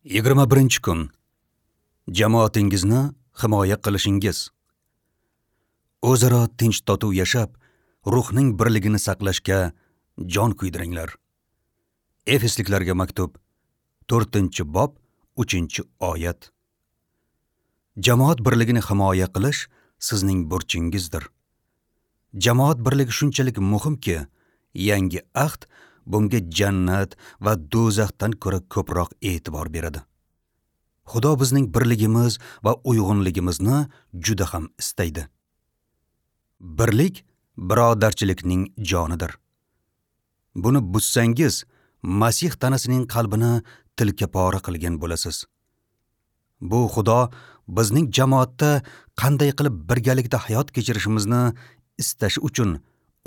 21-kun. Jamoatingizni himoya qilishingiz. O'zaro tinch totuv yashab, ruhning birligini saqlashga jon kuydiringlar. Efesliklarga maktub, 4-bob, 3-oyat. Jamoat birligini himoya qilish sizning burchingizdir. Jamoat birligi shunchalik muhimki, yangi ahd bunga jannat va do'zaxdan ko'ra ko'proq e'tibor beradi. Xudo bizning birligimiz va uyg'unligimizni juda ham istaydi. Birlik birodarchilikning jonidir. Buni buzsangiz, Masih tanasining qalbini tilka pora qilgan bo'lasiz. Bu Xudo bizning jamoatda qanday qilib birgalikda hayot kechirishimizni istashi uchun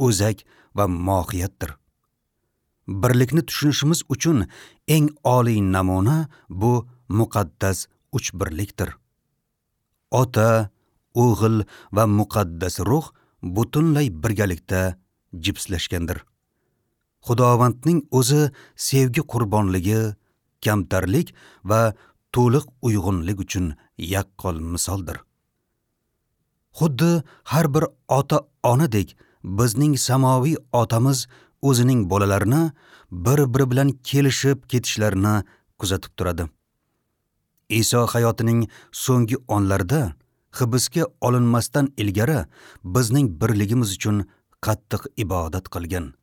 o'zak va mohiyatdir. Birlikni tushunishimiz uchun eng oliy namuna bu muqaddas uchbirlikdir. Ota, O'g'il va muqaddas ruh butunlay birgalikda jipslashgandir. Xudovandning o'zi sevgi qurbonligi, kamtarlik va to'liq uyg'unlik uchun yaqqol misoldir. Xuddi har bir ota-onadek bizning samoviy otamiz o'zining bolalarini bir-biri bilan kelishib ketishlarini kuzatib turadi. Iso hayotining so'nggi onlarida hibsga olinmasdan ilgari bizning birligimiz uchun qattiq ibodat qilgan.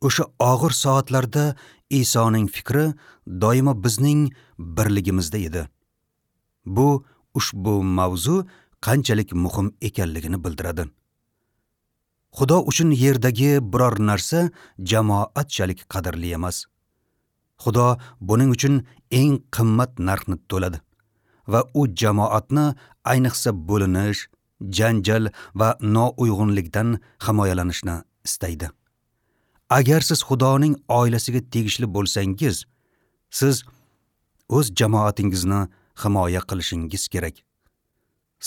O'sha og'ir soatlarda Isoning fikri doimo bizning birligimizda edi. Bu ushbu mavzu qanchalik muhim ekanligini bildiradi. Xudo uchun yerdagi biror narsa jamoatchalik qadrli emas. Xudo buning uchun eng qimmat narxni to'ladi va u jamoatni ayniqsa bo'linish, janjal va nouyg'unlikdan himoyalanishni istaydi. Agar siz Xudoning oilasiga tegishli bo'lsangiz, siz o'z jamoatingizni himoya qilishingiz kerak.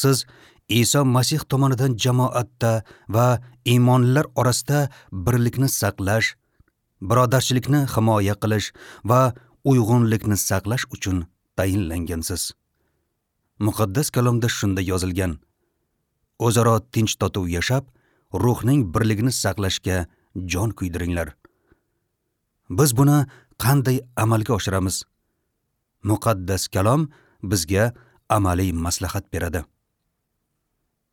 Siz Iso Masih tomonidan jamoatda va iymonlilar orasida birlikni saqlash, birodarchilikni himoya qilish va uyg'unlikni saqlash uchun tayinlangansiz. Muqaddas kalomda shunda yozilgan: O'zaro tinch totuv yashab, ruhning birligini saqlashga jon kuydiringlar. Biz buni qanday amalga oshiramiz? Muqaddas kalom bizga amaliy maslahat beradi.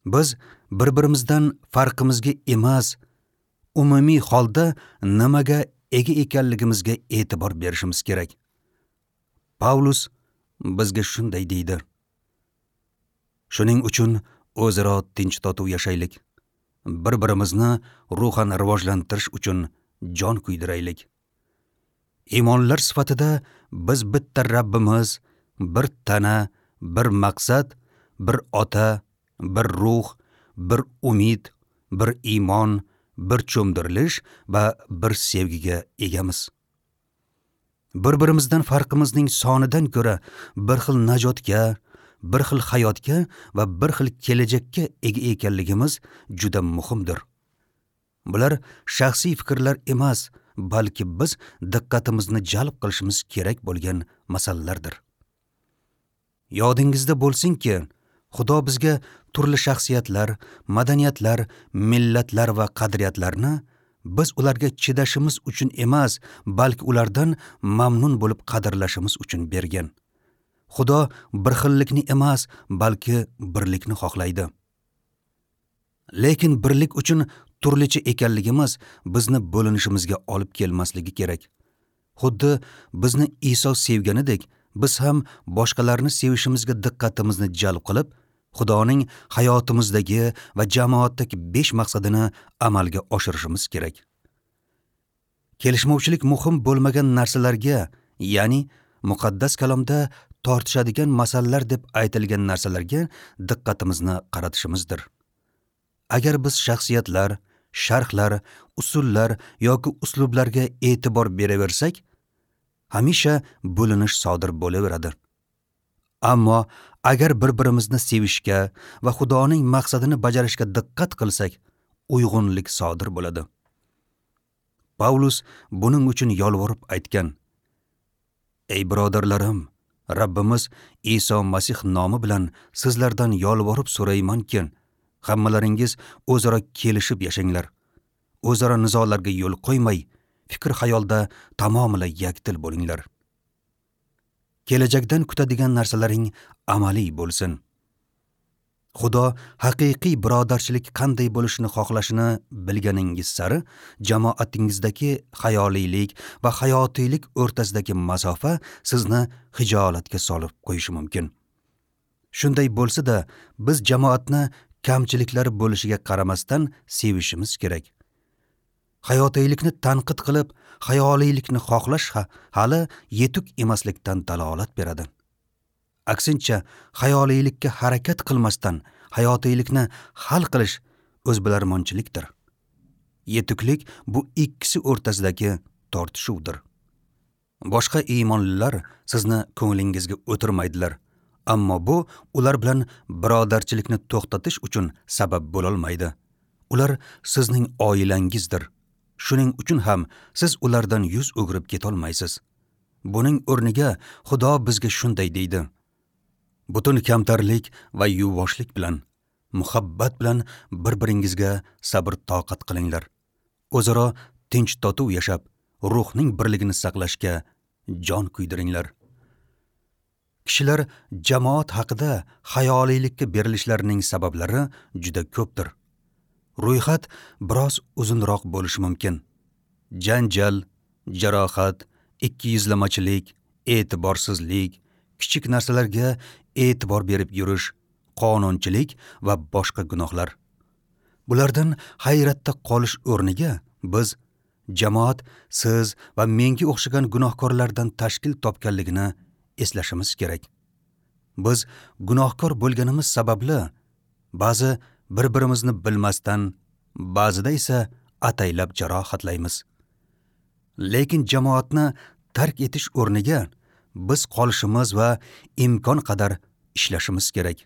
Biz bir-birimizdan farqimizga emas, umumiy holda nimaga ega ekanligimizga e'tibor berishimiz kerak. Pavlus bizga shunday deydi: Shuning uchun o'zaro tinch totuv yashaylik. Bir-birimizni ruhan rivojlantirish uchun jon kuydiraylik. Iymonlar sifatida biz bitta Rabbimiz, bir tana, bir maqsad, bir ota, bir ruh, bir umid, bir iymon, bir cho'mdirilish va bir sevgiga egamiz. Bir-birimizdan farqimizning sonidan ko'ra bir xil najotga, bir xil hayotga va bir xil kelajakka ega ekanligimiz juda muhimdir. Bular shaxsiy fikrlar emas, balki biz diqqatimizni jalb qilishimiz kerak bo'lgan masalalardir. Yodingizda bo'lsinki, Xudo bizga turli shaxsiyatlar, madaniyatlar, millatlar va qadriyatlarni biz ularga chidashimiz uchun emas, balki ulardan mamnun bo'lib qadrlashimiz uchun bergan. Xudo bir xillikni emas, balki birlikni xohlaydi. Lekin birlik uchun turlicha ekanligimiz bizni bo'linishimizga olib kelmasligi kerak. Xuddi bizni Iso sevganidek, biz ham boshqalarni sevishimizga diqqatimizni jalb qilib, Xudoning hayotimizdagi va jamoatdagi 5 maqsadini amalga oshirishimiz kerak. Kelishmovchilik muhim bo'lmagan narsalarga, ya'ni muqaddas kalomda tortishadigan masalalar deb aytilgan narsalarga diqqatimizni qaratishimizdir. Agar biz shaxsiyatlar, sharhlar, usullar yoki uslublarga e'tibor beraversak, hamisha bo'linish sodir bo'laveradi. Ammo agar bir-birimizni sevishga va Xudoning maqsadini bajarishga diqqat qilsak, uyg'unlik sodir bo'ladi. Pavlus buning uchun yolvorib aytgan: Ey birodarlarim, Rabbimiz Iso Masih nomi bilan sizlardan yolvorib so'raymanki, hammalaringiz o'zaro kelishib yashanglar. O'zaro nizolarga yo'l qo'ymay, fikr-xayolda tamomila yakdil bo'linglar. Kelajakdan kutadigan narsalaring amaliy bo'lsin. Xudo haqiqiy birodarchilik qanday bo'lishini xohlashini bilganingiz sari jamoatingizdagi xayoliylik va hayotiylik o'rtasidagi masofa sizni xijolatga solib qo'yishi mumkin. Shunday bo'lsa-da, biz jamoatni kamchiliklari bo'lishiga qaramasdan sevishimiz kerak. Hayotiylikni tanqid qilib, xayoliylikni xohlash hali yetuk emaslikdan dalolat beradi. Aksincha, xayoliylikka harakat qilmasdan hayotiylikni hal qilish o'zbilarmonchilikdir. Yetuklik bu ikkisi o'rtasidagi tortishuvdir. Boshqa iymonlilar sizni ko'nglingizga o'tirmaydilar, ammo bu ular bilan birodarchilikni to'xtatish uchun sabab bo'lolmaydi. Ular sizning oilangizdir. Shuning uchun ham siz ulardan yuz o'girib ketolmaysiz. Buning o'rniga Xudo bizga shunday deydi: butun kamtarlik va yuvoshlik bilan, muhabbat bilan bir-biringizga sabr-toqat qilinglar. O'zaro tinch totuv yashab, ruhning birligini saqlashga jon kuydiringlar. Kishilar jamoat haqida xayoliylikka berilishlarining sabablari juda ko'pdir. Ro'yxat biroz uzunroq bo'lishi mumkin. Janjal, jarohat, ikkiyuzlamachilik, e'tiborsizlik, kichik narsalarga e'tibor berib yurish, qonunchilik va boshqa gunohlar. Bulardan hayratda qolish o'rniga biz jamoat siz va menga o'xshagan gunohkorlardan tashkil topganligini eslashimiz kerak. Biz gunohkor bo'lganimiz sababli ba'zi bir-birimizni bilmasdan, ba'zida esa ataylab jarohatlaymiz. Lekin jamoatni tark etish o'rniga biz qolishimiz va imkon qadar ishlashimiz kerak.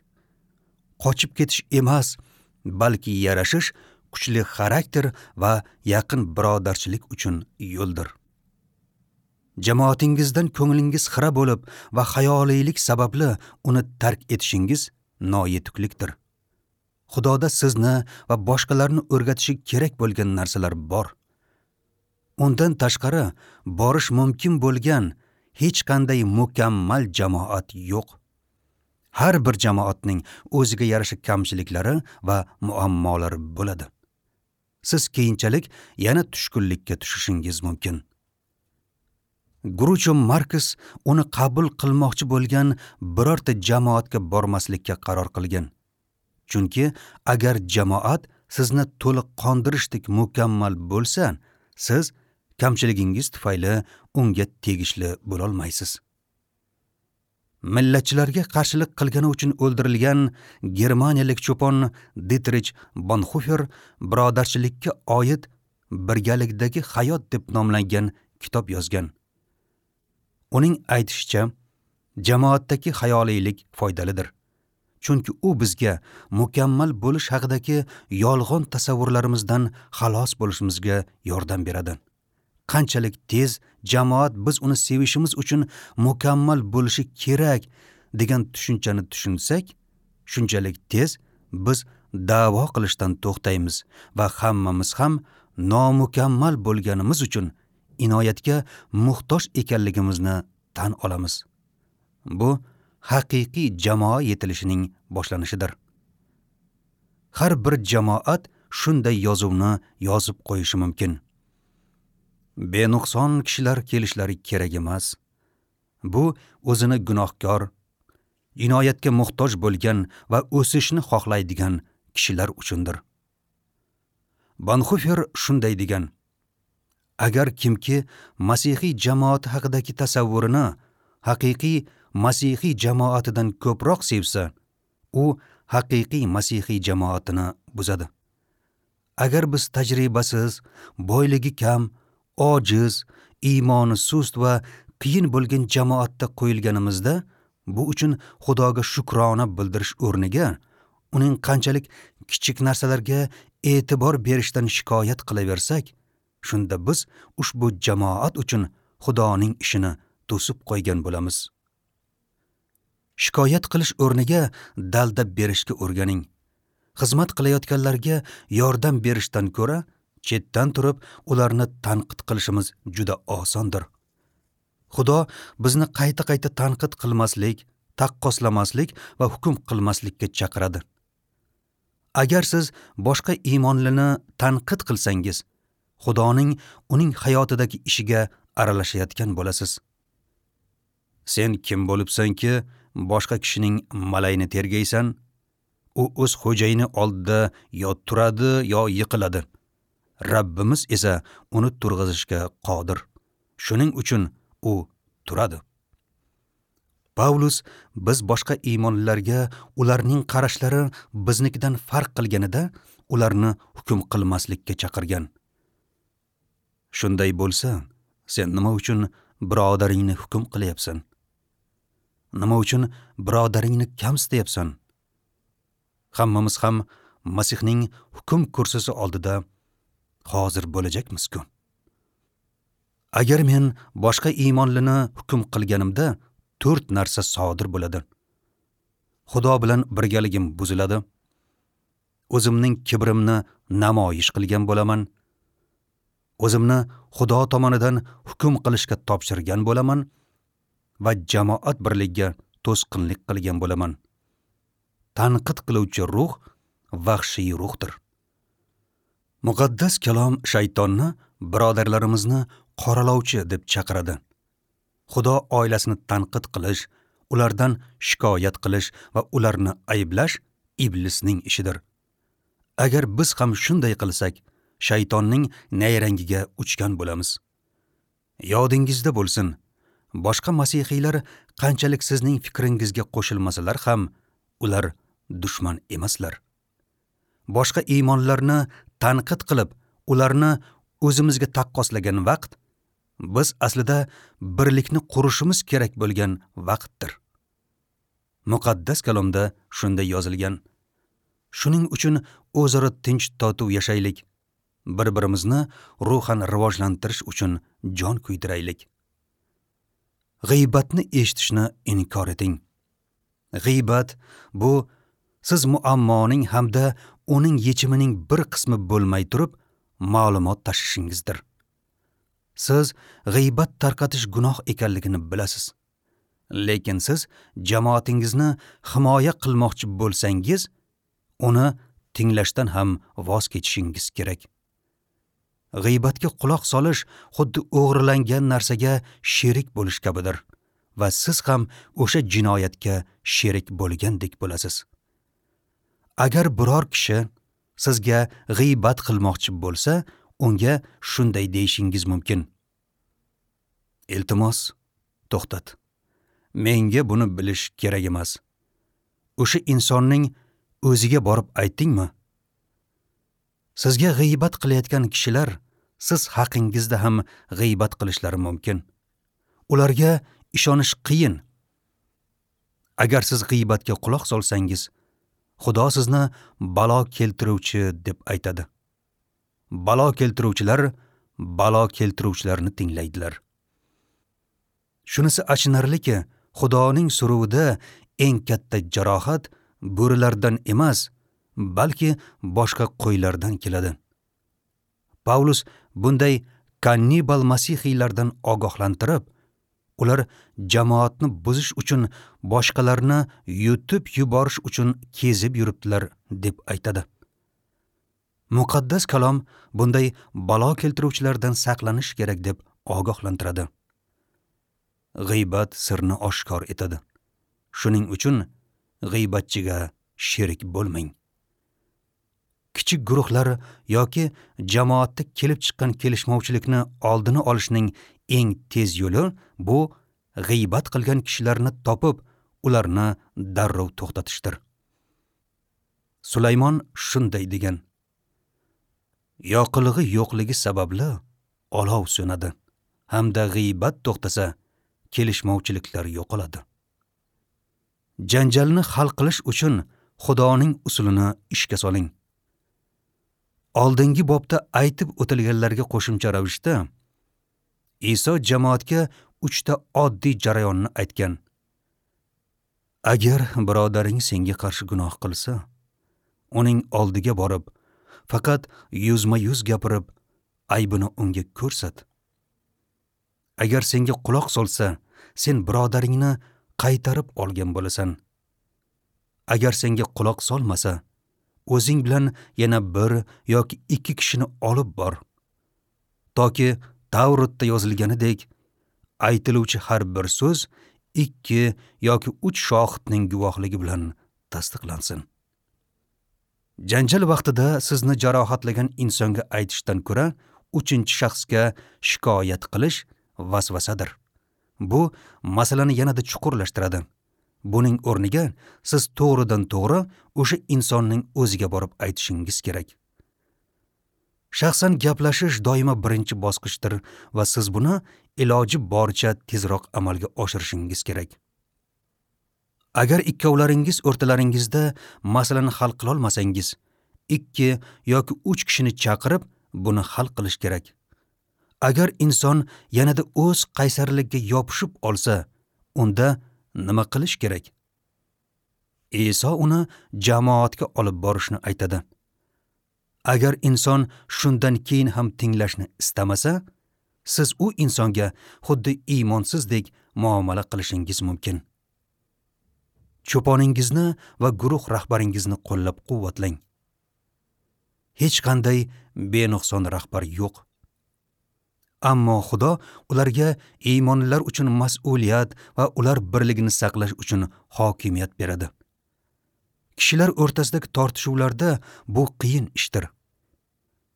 Qochib ketish emas, balki yarashish kuchli xarakter va yaqin birodarchilik uchun yo'ldir. Jamoatingizdan ko'nglingiz xira bo'lib va xayoliylik sababli uni tark etishingiz noyetuklikdir. Xudoda sizni va boshqalarni o'rgatishi kerak bo'lgan narsalar bor. Undan tashqari borish mumkin bo'lgan hech qanday mukammal jamoat yo'q. Har bir jamoatning o'ziga yarasha kamchiliklari va muammolari bo'ladi. Siz keyinchalik yana tushkunlikka tushishingiz mumkin. Groucho Marx uni qabul qilmoqchi bo'lgan birorta jamoatga bormaslikka qaror qilgan. Chunki agar jamoat sizni to'liq qondirishdek mukammal bo'lsa, siz kamchiligingiz tufayli unga tegishli bo'lolmaysiz. Millatchilarga qarshilik qilgani uchun o'ldirilgan germaniyalik cho'pon Dietrich Bonhoeffer birodarchilikka oid birgalikdagi hayot deb nomlangan kitob yozgan. Uning aytishicha, jamoatdagi xayoliylik foydalidir. Chunki u bizga mukammal bo'lish haqidagi yolg'on tasavvurlarimizdan xalos bo'lishimizga yordam beradi. Qanchalik tez jamoat biz uni sevishimiz uchun mukammal bo'lishi kerak degan tushunchani tushunsak, shunchalik tez biz da'vo qilishdan to'xtaymiz va hammamiz ham nomukammal bo'lganimiz uchun inoyatga muhtoj ekanligimizni tan olamiz. Bu haqiqiy jamoa yetilishining boshlanishidir. Har bir jamoat shunday yozuvni yozib qo'yishi mumkin. Benuqson kishilar kelishlari kerak emas. Bu o'zini gunohkor, inoyatga muhtoj bo'lgan va o'sishni xohlaydigan kishilar uchundir. Bonhoeffer shunday degan: agar kimki masihiy jamoati haqidagi tasavvurini haqiqiy masihiy jamoatidan ko'proq sevsa, u haqiqiy masihiy jamoatini buzadi. Agar biz tajribasiz, boyligi kam, ojiz, iymoni sust va qiyin bo'lgan jamoatda qo'yilganimizda, bu uchun Xudoga shukrona bildirish o'rniga uning qanchalik kichik narsalarga e'tibor berishdan shikoyat qilaversak, shunda biz ushbu jamoat uchun Xudoning ishini to'sib qo'ygan bo'lamiz. Shikoyat qilish o'rniga dalda berishga o'rganing. Xizmat qilayotganlarga yordam berishdan ko'ra chetdan turib ularni tanqid qilishimiz juda osondir. Xudo bizni qayta-qayta tanqid qilmaslik, taqqoslamaslik va hukm qilmaslikka chaqiradi. Agar siz boshqa iymonlini tanqid qilsangiz, Xudoning uning hayotidagi ishiga aralashayotgan bo'lasiz. Sen kim bo'libsanki, boshqa kishining malayini tergaysan? U o'z xo'jayini oldida yo turadi, yo yiqiladi. Rabbimiz esa uni turg'izishga qodir. Shuning uchun u turadi. Pavlus biz boshqa iymonlilarga ularning qarashlari biznikidan farq qilganida ularni hukm qilmaslikka chaqirgan. Shunday bo'lsa, sen nima uchun birodaringni hukm qilyapsan? Nima uchun birodaringni kamsityapsan? Hammamiz ham Masihning hukm kursisi oldida hozir bo'lajakmiz-ku. Agar men boshqa iymonlini hukm qilganimda 4 narsa sodir bo'ladi. Xudo bilan birgaligim buziladi. O'zimning kibrimni namoyish qilgan bo'laman. O'zimni Xudo tomonidan hukm qilishga topshirgan bo'laman va jamoat birligiga to'sqinlik qilgan bo'laman. Tanqid qiluvchi ruh vahshiy ruhdir. Muqaddas kalom shaytonni birodarlarimizni qoralovchi deb chaqiradi. Xudo oilasini tanqid qilish, ulardan shikoyat qilish va ularni ayblash iblisning ishidir. Agar biz ham shunday qilsak, shaytonning nayrangiga uchgan bo'lamiz. Yodingizda bo'lsin, boshqa masihiylar qanchalik sizning fikringizga qo'shilmasalar ham, ular dushman emaslar. Boshqa iymonlarni tanqid qilib, ularni o'zimizga taqqoslagan vaqt biz aslida birlikni qurishimiz kerak bo'lgan vaqtdir. Muqaddas kalomda shunday yozilgan: Shuning uchun o'zaro tinch totuv yashaylik, bir-birimizni ruhan rivojlantirish uchun jon kuydiraylik. G'iybatni eshitishni inkor eting. G'iybat bu siz muammoning hamda uning yechimining bir qismi bo'lmay turib ma'lumot tashishingizdir. Siz g'iybat tarqatish gunoh ekanligini bilasiz. Lekin siz jamoatingizni himoya qilmoqchi bo'lsangiz, uni tinglashdan ham voz kechishingiz kerak. G'iybatga quloq solish xuddi o'g'irlangan narsaga sherik bo'lish kabidir va siz ham o'sha jinoyatga sherik bo'lgandek bo'lasiz. Agar biror kishi sizga g'iybat qilmoqchi bo'lsa, unga shunday deyishingiz mumkin: Iltimos, to'xtat. Menga buni bilish kerak emas. O'sha insonning o'ziga borib aytdingmi? Sizga g'iybat qilayotgan kishilar siz haqingizda ham g'iybat qilishlari mumkin. Ularga ishonish qiyin. Agar siz g'iybatga quloq solsangiz, Xudo sizni balo keltiruvchi deb aytadi. Balo keltiruvchilar balo keltiruvchilarni tinglaydilar. Shunisi achinarliki, Xudoning suruvida eng katta jarohat bo'rilardan emas, balki boshqa qo'ylardan keladi. Pavlus bunday kannibal masihiylardan ogohlantirib, ular jamoatni buzish uchun boshqalarni yutib yuborish uchun kezib yuribdilar deb aytadi. Muqaddas kalom bunday balo keltiruvchilardan saqlanish kerak deb ogohlantiradi. G'iybat sirni oshkor etadi. Shuning uchun g'iybatchiga sherik bo'lmang. Kichik guruhlar yoki jamoatda kelib chiqqan kelishmovchilikni oldini olishning eng tez yo'li bu g'iybat qilgan kishilarni topib, ularni darrov to'xtatishdir. Sulaymon shunday degan: Yoqilg'i yo'qligi sababli olov so'nadi, hamda g'iybat to'xtasa, kelishmovchiliklar yo'qoladi. Janjalni hal qilish uchun Xudoning usulini ishga soling. Oldingi bobda aytib o'tilganlarga qo'shimcha ravishda Iso jamoatga 3 ta oddiy jarayonni aytgan. Agar birodaring senga qarshi gunoh qilsa, uning oldiga borib, faqat yuzma-yuz gapirib, aybini unga ko'rsat. Agar senga quloq solsa, sen birodaringni qaytarib olgan bo'lasan. Agar senga quloq solmasa, o'zing bilan yana bir yoki ikki kishini olib bor. Toki Tavrotda yozilganidek, aytiluvchi har bir so'z 2 yoki 3 shohidning guvohligi bilan tasdiqlansin. Janjal vaqtida sizni jarohatlagan insonga aytishdan ko'ra, 3-shaxsga shikoyat qilish vasvasadir. Bu masalani yanada chuqurlashtiradi. Buning o'rniga siz to'g'ridan to'g'ri o'sha insonning o'ziga borib aytishingiz kerak. Shaxsan gaplashish doimo birinchi bosqichdir va siz buni iloji boricha tezroq amalga oshirishingiz kerak. Agar ikkovlaringiz o'rtalaringizda masalani hal qila olmasangiz, 2 yoki 3 kishini chaqirib, buni hal qilish kerak. Agar inson yanada o'z qaysarligiga yopishib olsa, unda nima qilish kerak? Iso uni jamoatga olib borishni aytadi. Agar inson shundan keyin ham tinglashni istamasa, siz u insonga xuddi iymonsizdek muomala qilishingiz mumkin. Cho'poningizni va guruh rahbaringizni qo'llab-quvvatlang. Hech qanday benuqson rahbar yo'q. Ammo Xudo ularga iymonlilar uchun mas'uliyat va ular birligini saqlash uchun hokimiyat beradi. Kishilar o'rtasidagi tortishuvlarda bu qiyin ishdir.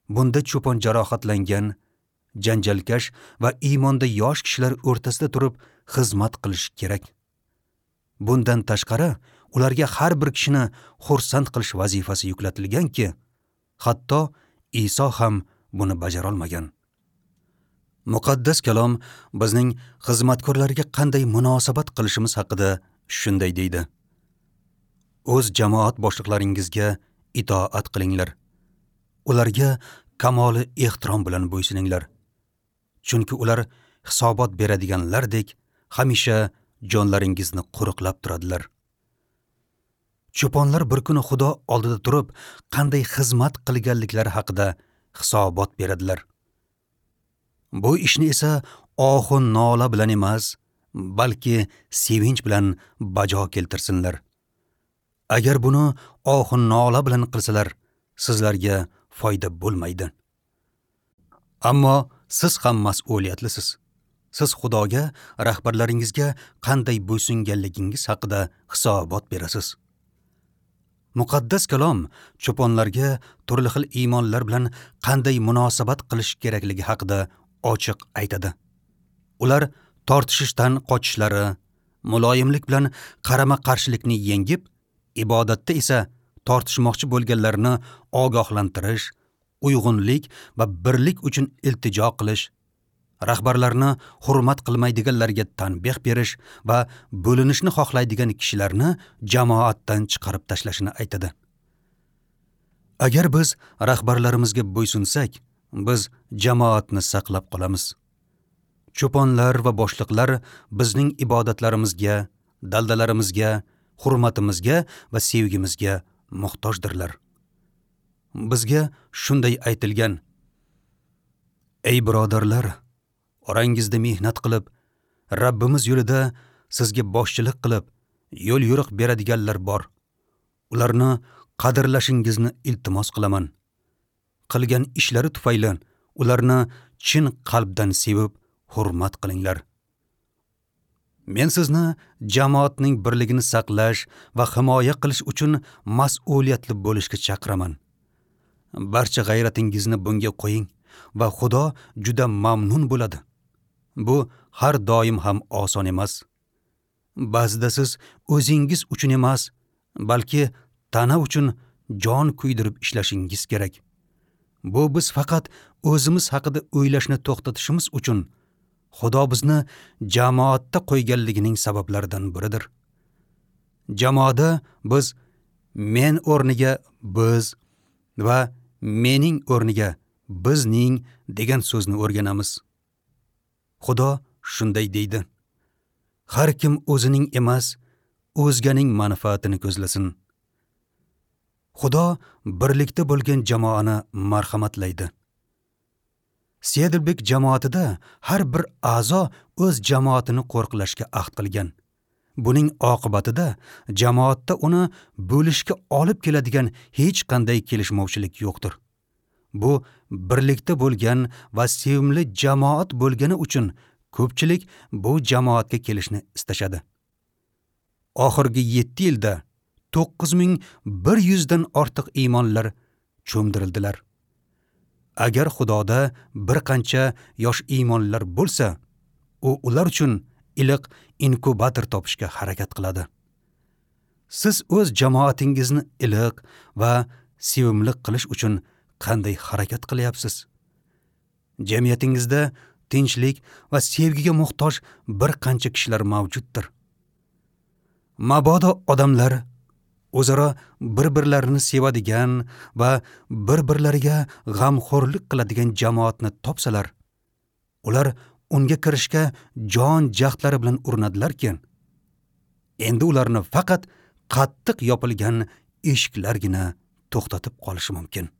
Bunda cho'pon jarohatlangan, janjalkash va iymonda yosh kishilar o'rtasida turib xizmat qilish kerak. Bundan tashqari, ularga har bir kishini xursand qilish vazifasi yuklatilganki, hatto Iso ham buni bajara olmagan. Muqaddas kalom bizning xizmatkorlarga qanday munosabat qilishimiz haqida shunday deydi: O'z jamoat boshliqlaringizga itoat qilinglar. Ularga kamoli ehtirom bilan bo'ysuninglar. Chunki ular hisobot beradiganlardek hamisha jonlaringizni qo'riqlab turadilar. Cho'ponlar bir kuni Xudo oldida turib, qanday xizmat qilganliklari haqida hisobot beradilar. Bu ishni esa ohu nola bilan emas, balki sevinch bilan bajo keltirsinlar. Agar buni ohu nola bilan qilsalar, sizlarga foyda bo'lmaydi. Ammo siz ham mas'uliyatlisiz. Siz Xudoga, rahbarlaringizga qanday bo'ysunganligingiz haqida hisobot berasiz. Muqaddas kalom cho'ponlarga turli xil iymonlar bilan qanday munosabat qilish kerakligi haqida ochiq aytadi. Ular tortishishdan qochishlari, muloyimlik bilan qarama-qarshilikni yengib, ibodatda esa tortishmoqchi bo'lganlarni ogohlantirish, uyg'unlik va birlik uchun iltijo qilish, rahbarlarni hurmat qilmaydiganlarga tanbeh berish va bo'linishni xohlaydigan kishilarni jamoatdan chiqarib tashlashini aytadi. Agar biz rahbarlarimizga bo'ysunsak, biz jamoatni saqlab qolamiz. Cho'ponlar va boshliqlar bizning ibodatlarimizga, daldalarimizga, hurmatimizga va sevgimizga muhtojdirlar. Bizga shunday aytilgan: Ey birodarlar, orangizda mehnat qilib, Rabbimiz yo'lida sizga boshchilik qilib, yo'l yo'riq beradiganlar bor. Ularni qadrlashingizni iltimos qilaman. Qilgan ishlari tufayli ularni chin qalbdan sevib, hurmat qilinglar. Men sizni jamoatning birligini saqlash va himoya qilish uchun mas'uliyatli bo'lishga chaqiraman. Barcha g'ayratingizni bunga qo'ying va Xudo juda mamnun bo'ladi. Bu har doim ham oson emas. Ba'zida siz o'zingiz uchun emas, balki tana uchun jon kuydirib ishlashingiz kerak. Bu biz faqat o'zimiz haqida o'ylashni to'xtatishimiz uchun Xudo bizni jamoatda qo'yganligining sabablaridan biridir. Jamoada biz men o'rniga biz va mening o'rniga bizning degan so'zni o'rganamiz. Xudo shunday deydi: Har kim o'zining emas, o'zganing manfaatini ko'zlasin. Xudo birlikda bo'lgan jamoani marhamatlaydi. Sedelbek jamoatida har bir a'zo o'z jamoatini qo'riqlashga ahd qilgan. Buning oqibatida jamoatda uni bo'lishga olib keladigan hech qanday kelishmovchilik yo'qdir. Bu birlikda bo'lgan va sevimli jamoat bo'lgani uchun ko'pchilik bu jamoatga kelishni istashadi. Oxirgi 7 yilda 9100 dan ortiq iymonlar cho'mdirildilar. Agar Xudoda bir qancha yosh iymonlar bo'lsa, u ular uchun iliq inkubator topishga harakat qiladi. Siz o'z jamoatingizni iliq va sevimli qilish uchun qanday harakat qilyapsiz? Jamiyatingizda tinchlik va sevgiga muhtoj bir qancha kishilar mavjuddir. Mabodo odamlar o'zaro bir-birlarini sevadigan va bir-birlariga g'amxo'rlik qiladigan jamoatni topsalar, ular unga kirishga jon jahdlari bilan urinadilarki, endi ularni faqat qattiq yopilgan eshiklargina to'xtatib qolishi mumkin.